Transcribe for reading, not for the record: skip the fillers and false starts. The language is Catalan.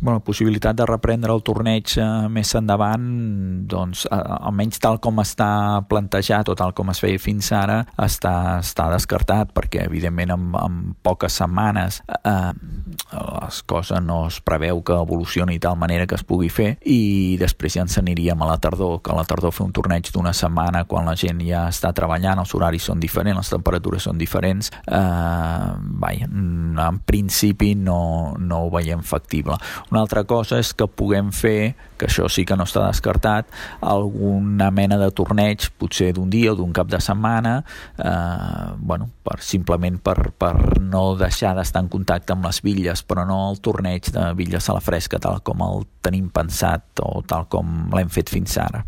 La possibilitat de reprendre el torneig més endavant, doncs, almenys tal com està plantejat o tal com es feia fins ara, està descartat, perquè evidentment en poques setmanes les coses no es preveu que evolucioni de tal manera que es pugui fer, i després ja ens aniríem a la tardor, que a la tardor fer un torneig d'una setmana quan la gent ja està treballant, els horaris són diferents, les temperatures són diferents, en principi no ho veiem factible. Una altra cosa és que puguem fer, que això sí que no està descartat, alguna mena de torneig, potser d'un dia o d'un cap de setmana, simplement per no deixar d'estar en contacte amb les bitlles, però no el torneig de bitlles a la fresca tal com el tenim pensat o tal com l'hem fet fins ara.